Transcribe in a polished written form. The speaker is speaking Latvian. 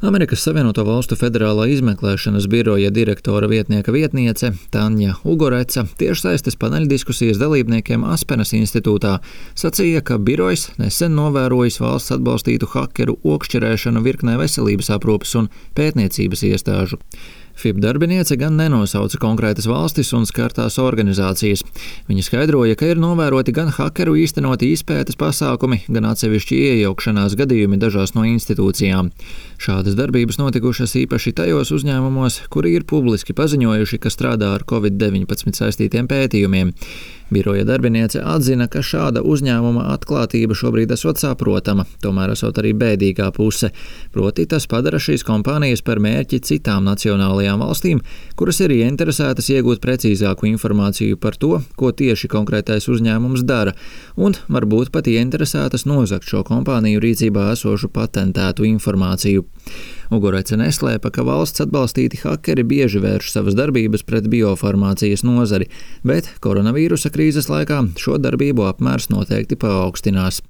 Amerikas Savienoto Valstu Federālā izmeklēšanas biroja direktora vietnieka vietniece Tanja Ugoreca tiešsaistes paneļdiskusijas dalībniekiem Aspenas institūtā sacīja, ka birojs nesen novērojis valsts atbalstītu hakeru okšķerēšanu virknē veselības aprūpes un pētniecības iestāžu. FIB darbiniece gan nenosauca konkrētas valstis un skartās organizācijas. Viņa skaidroja, ka ir novēroti gan hakeru īstenoti izpētes pasākumi, gan atsevišķi iejaukšanās gadījumi dažās no institūcijām. Šādas darbības notikušas īpaši tajos uzņēmumos, kuri ir publiski paziņojuši, ka strādā ar Covid-19 saistītiem pētījumiem. Biroja darbiniece atzina, ka šāda uzņēmuma atklātība šobrīd esot saprotama, tomēr esot arī bēdīgā puse. Proti tas padara šīs kompānijas par mērķi citām nacionālajām valstīm, kuras ir ieinteresētas iegūt precīzāku informāciju par to, ko tieši konkrētais uzņēmums dara, un varbūt pat ieinteresētas nozagt šo kompāniju rīcībā esošu patentētu informāciju. Ugorece neslēpa, ka valsts atbalstīti hakeri bieži vērš savas darbības pret biofarmācijas nozari, bet koronavīrusa krīzes laikā šo darbību apmērs noteikti paaugstinās.